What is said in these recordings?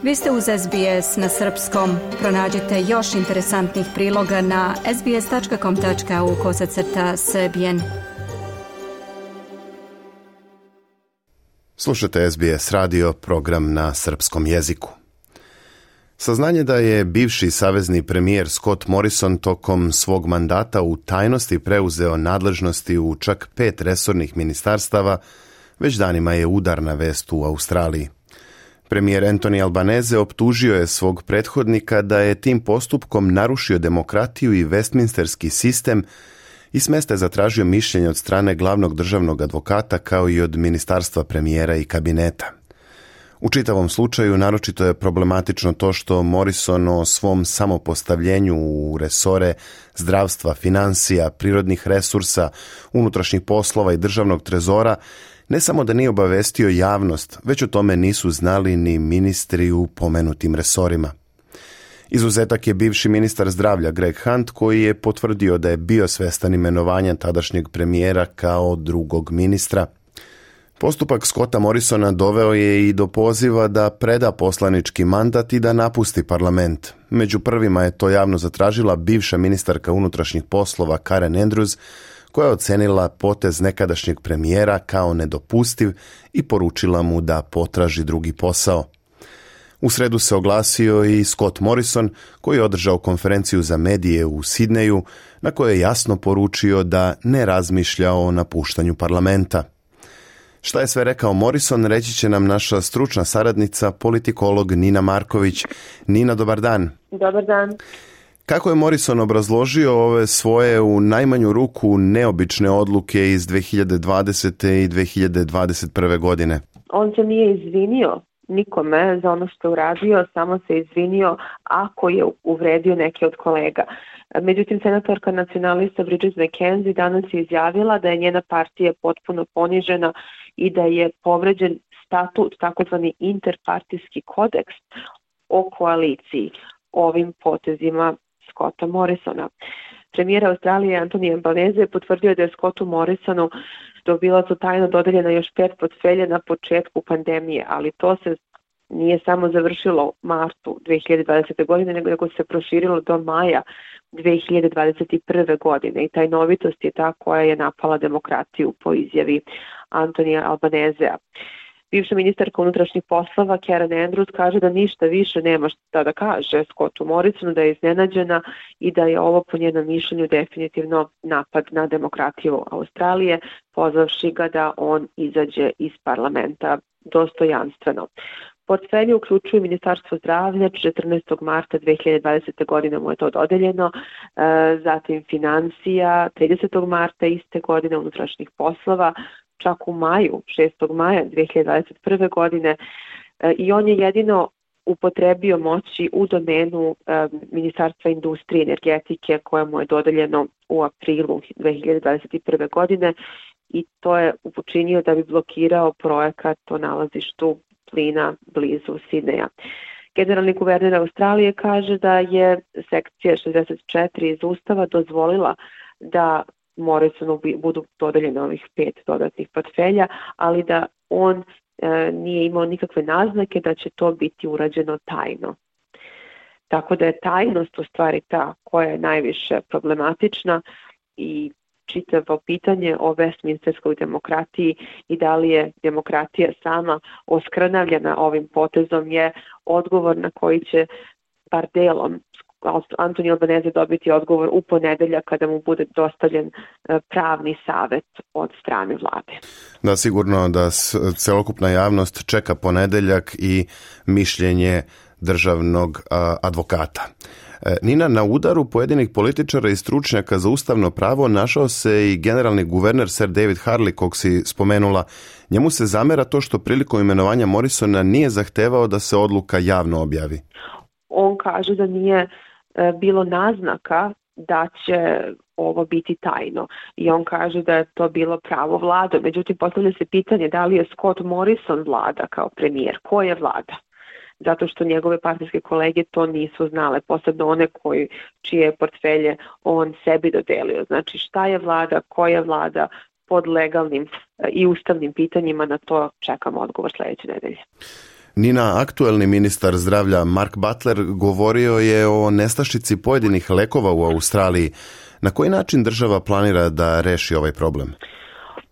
Vi ste uz SBS na srpskom. Pronađite još interesantnih priloga na sbs.com.au/srbijen. Slušate SBS radio, program na srpskom jeziku. Saznanje da je bivši savezni premijer Scott Morrison tokom svog mandata u tajnosti preuzeo nadležnosti u čak 5 resornih ministarstava već danima je udarna vest u Australiji. Premijer Anthony Albanese optužio je svog prethodnika da je tim postupkom narušio demokratiju i Westminsterski sistem i s mesta je zatražio mišljenje od strane glavnog državnog advokata kao i od ministarstva premijera i kabineta. U čitavom slučaju naročito je problematično to što Morrison o svom samopostavljenju u resore zdravstva, financija, prirodnih resursa, unutrašnjih poslova i državnog trezora ne samo da nije obavestio javnost, već o tome nisu znali ni ministri u pomenutim resorima. Izuzetak je bivši ministar zdravlja Greg Hunt, koji je potvrdio da je bio svestan imenovanja tadašnjeg premijera kao drugog ministra. Postupak Scotta Morrisona doveo je i do poziva da preda poslanički mandat i da napusti parlament. Među prvima je to javno zatražila bivša ministarka unutrašnjih poslova Karen Andrews, koja je ocenila potez nekadašnjeg premijera kao nedopustiv i poručila mu da potraži drugi posao. U sredu se oglasio i Scott Morrison, koji je održao konferenciju za medije u Sidneju, na kojoj je jasno poručio da ne razmišlja o napuštanju parlamenta. Šta je sve rekao Morrison, reći će nam naša stručna saradnica, politikolog Nina Marković. Nina, dobar dan. Dobar dan. Kako je Morrison obrazložio ove svoje u najmanju ruku neobične odluke iz 2020. i 2021. godine? On se nije izvinio nikome za ono što je uradio, samo se izvinio ako je uvredio neke od kolega. Međutim, senatorka nacionalista Bridget McKenzie danas je izjavila da je njena partija potpuno ponižena i da je povređen statut, takozvani interpartijski kodeks o koaliciji ovim potezima Scotta Morrisona. Premijer Australije Anthony Albanese je potvrdio da je Scottu Morrisonu bila su tajno dodeljena još 5 portfelja na početku pandemije, ali to se nije samo završilo u martu 2020. godine, nego se proširilo do maja 2021. godine i tajnovitost je ta koja je napala demokratiju po izjavi Antonija Albanesea. Bivša ministarka unutrašnjih poslova Karen Andrews kaže da ništa više nema šta da kaže Scottu Morrisonu, da je iznenađena i da je ovo po njenom mišljenju definitivno napad na demokratiju Australije, pozvavši ga da on izađe iz parlamenta dostojanstveno. Portfelje uključuju Ministarstvo zdravlja, 14. marta 2020. godine mu je to dodeljeno, zatim financija, 30. marta iste godine unutrašnjih poslova, čak u maju, 6. maja 2021. godine i on je jedino upotrebio moći u domenu Ministarstva industrije i energetike koje mu je dodeljeno u aprilu 2021. godine i to je učinio da bi blokirao projekat o nalazištu plina blizu Sidneja. Generalni guverner Australije kaže da je sekcija 64 iz Ustava dozvolila da Morrisonu budu dodeljene ovih 5 dodatnih portfelja, ali da on nije imao nikakve naznake da će to biti urađeno tajno. Tako da je tajnost u stvari ta koja je najviše problematična i čitavo pitanje o Westminsterskoj demokratiji i da li je demokratija sama oskrnavljena ovim potezom je odgovor na koji će bar delom Anthony Albanese dobiti odgovor u ponedeljak kada mu bude dostavljen pravni savet od strane vlade. Da, sigurno da celokupna javnost čeka ponedeljak i mišljenje državnog advokata. Nina, na udaru pojedinih političara i stručnjaka za ustavno pravo našao se i generalni guverner Sir David Harley, kog si spomenula. Njemu se zamera to što prilikom imenovanja Morrisona nije zahtevao da se odluka javno objavi. On kaže da nije bilo naznaka da će ovo biti tajno i on kaže da je to bilo pravo vlade. Međutim, postavlja se pitanje da li je Scott Morrison vlada kao premijer. Ko je vlada? Zato što njegove partijske kolege to nisu znale, posebno one čije portfelje on sebi dodelio. Znači šta je vlada, koja je vlada pod legalnim i ustavnim pitanjima, na to čekamo odgovor sledeće nedelje. Nina, aktuelni ministar zdravlja Mark Butler govorio je o nestašici pojedinih lekova u Australiji. Na koji način država planira da reši ovaj problem?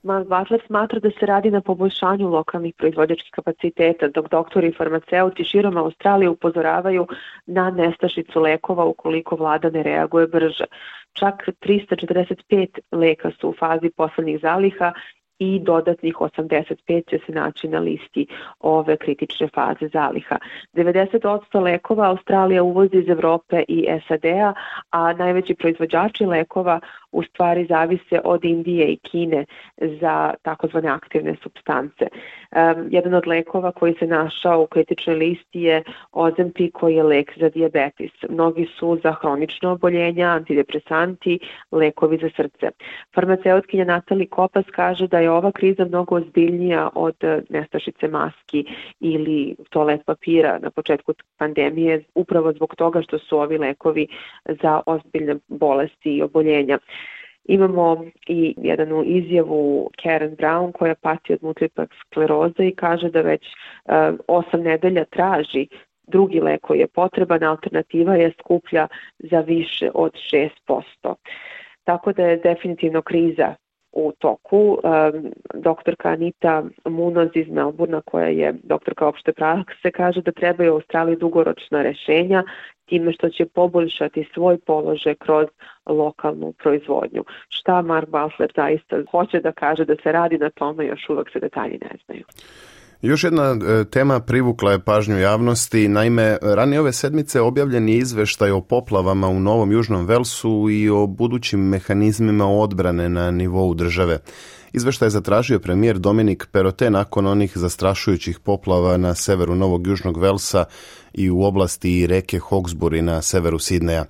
Mark Butler smatra da se radi na poboljšanju lokalnih proizvođačkih kapaciteta, dok doktori i farmaceuti širom Australije upozoravaju na nestašicu lekova ukoliko vlada ne reaguje brže. Čak 345 leka su u fazi poslednjih zaliha i dodatnih 85 će se naći na listi ove kritične faze zaliha. 90% lekova Australija uvozi iz Evrope i SAD-a, a najveći proizvođači lekova u stvari zavise od Indije i Kine za takozvane aktivne supstance. Jedan od lekova koji se našao u kritičnoj listi je Ozempic, koji je lek za dijabetes. Mnogi su za hronično oboljenja, antidepresanti, lekovi za srce. Farmaceutkinja Natalie Kopas kaže da je ova kriza mnogo ozbiljnija od nestašice maski ili toalet papira na početku pandemije, upravo zbog toga što su ovi lekovi za ozbiljne bolesti i oboljenja. Imamo i jednu izjavu Karen Brown koja pati od multiple skleroze i kaže da već 8 nedelja traži drugi lek koji je potreban, alternativa je skuplja za više od 6%. Tako da je definitivno kriza u toku. Doktorka Anita Munoz iz Melbourna, koja je doktorka opšte prakse, kaže da trebaju u Australiji dugoročna rešenja time što će poboljšati svoj položaj kroz lokalnu proizvodnju. Šta Mark Butler zaista hoće da kaže da se radi na tome, još uvek se detalji ne znaju. Još jedna tema privukla je pažnju javnosti. Naime, ranije ove sedmice objavljen je izveštaj o poplavama u Novom Južnom Velsu i o budućim mehanizmima odbrane na nivou države. Izveštaj je zatražio premijer Dominic Perrottet nakon onih zastrašujućih poplava na severu Novog Južnog Velsa i u oblasti reke Hawkesbury na severu Sidneja.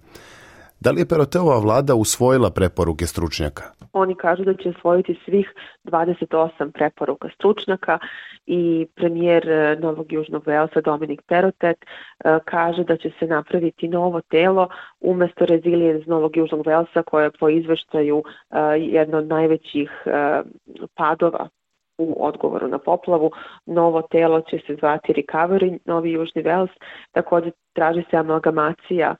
Da li je Perrottetova vlada usvojila preporuke stručnjaka? Oni kažu da će usvojiti svih 28 preporuka stručnjaka i premijer Novog Južnog Velsa Dominic Perrottet kaže da će se napraviti novo telo umesto Resilience Novog Južnog Velsa, koje je po izveštaju jedno od najvećih padova u odgovoru na poplavu. Novo telo će se zvati Recovery Novi Južni Vels. Također traži se amalgamacija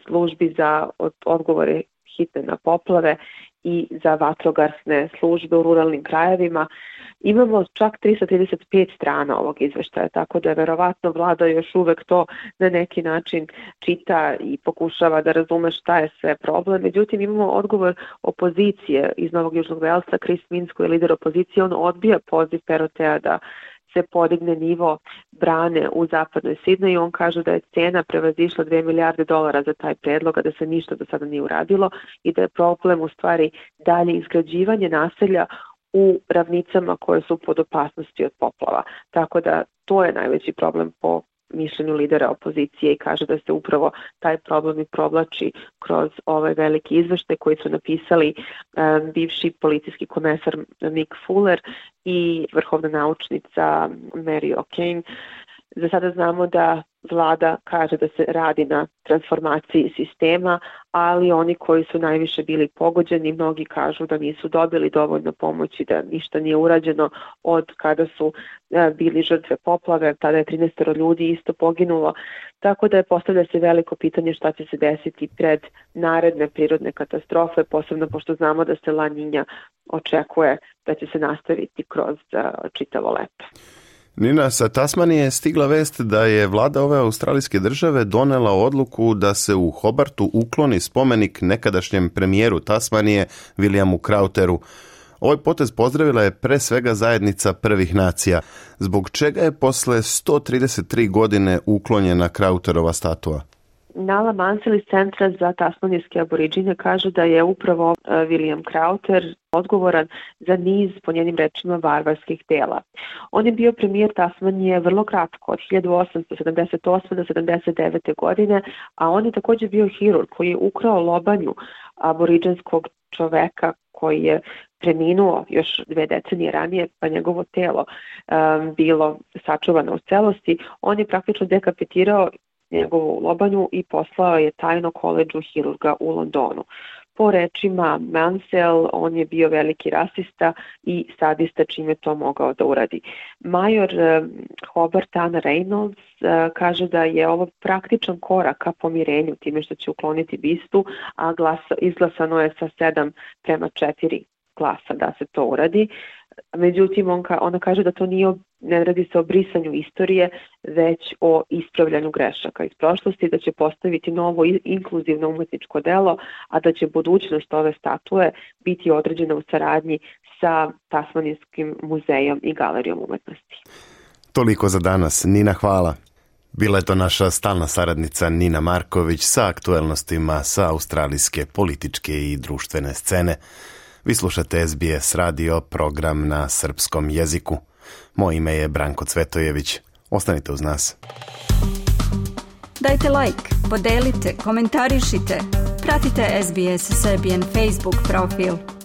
službi za odgovore hitne na poplave i za vatrogasne službe u ruralnim krajevima. Imamo čak 335 strana ovog izveštaja, tako da je verovatno vlada još uvek to na neki način čita i pokušava da razume šta je sve problem. Međutim, imamo odgovor opozicije iz Novog Južnog Velsa, Chris Minns, koji je lider opozicije. On odbija poziv Perrotteta da se podigne nivo brane u zapadnoj Sidneju. On kaže da je cena prevazišla $2 milijarde za taj predlog, a da se ništa do sada nije uradilo i da je problem u stvari dalje izgrađivanje naselja u ravnicama koje su pod opasnosti od poplava. Tako da to je najveći problem po mišljenju lidera opozicije i kaže da se upravo taj problem i provlači kroz ovaj veliki izveštaj koji su napisali bivši policijski komesar Mick Fuller i vrhovna naučnica Mary O'Kane. Za sada znamo da vlada kaže da se radi na transformaciji sistema, ali oni koji su najviše bili pogođeni, mnogi kažu da nisu dobili dovoljno pomoći, da ništa nije urađeno od kada su bili žrtve poplave, tada je 13 ljudi isto poginulo, tako da je postavlja se veliko pitanje šta će se desiti pred naredne prirodne katastrofe, posebno pošto znamo da se La Niña očekuje da će se nastaviti kroz čitavo leto. Nina, sa Tasmanije je stigla vest da je vlada ove australijske države donela odluku da se u Hobartu ukloni spomenik nekadašnjem premijeru Tasmanije Williamu Crowtheru. Ovaj potez pozdravila je pre svega zajednica prvih nacija, zbog čega je posle 133 godine uklonjena Crowtherova statua. Nala Mansell iz Centra za tasmanijske aboriđine kaže da je upravo William Crowther odgovoran za niz, po njenim rečima, varvarskih dela. On je bio premijer Tasmanije vrlo kratko, od 1878. do 79. godine, a on je također bio hirurg koji je ukrao lobanju aboriđanskog čoveka koji je preminuo još 2 decenije ranije, pa njegovo telo bilo sačuvano u celosti. On je praktično dekapitirao njegovu lobanju i poslao je tajno koledžu hirurga u Londonu. Po rečima Mansell, on je bio veliki rasista i sadista čime to mogao da uradi. Major Hobart Ann Reynolds kaže da je ovo praktičan korak ka pomirenju time što će ukloniti bistu, a izglasano je sa 7:4 glasa da se to uradi. Međutim, ona kaže da to ne radi se o brisanju istorije, već o ispravljanju grešaka iz prošlosti, da će postaviti novo inkluzivno umetničko delo, a da će budućnost ove statue biti određena u saradnji sa Tasmanijskim muzejom i galerijom umetnosti. Toliko za danas. Nina, hvala. Bila je to naša stalna saradnica Nina Marković sa aktuelnostima sa australijske političke i društvene scene. Vi slušate SBS radio, program na srpskom jeziku. Moje ime je Branko Cvetojević. Ostanite uz nas. Dajte like, podelite, komentarišite. Pratite SBS Serbian Facebook profil.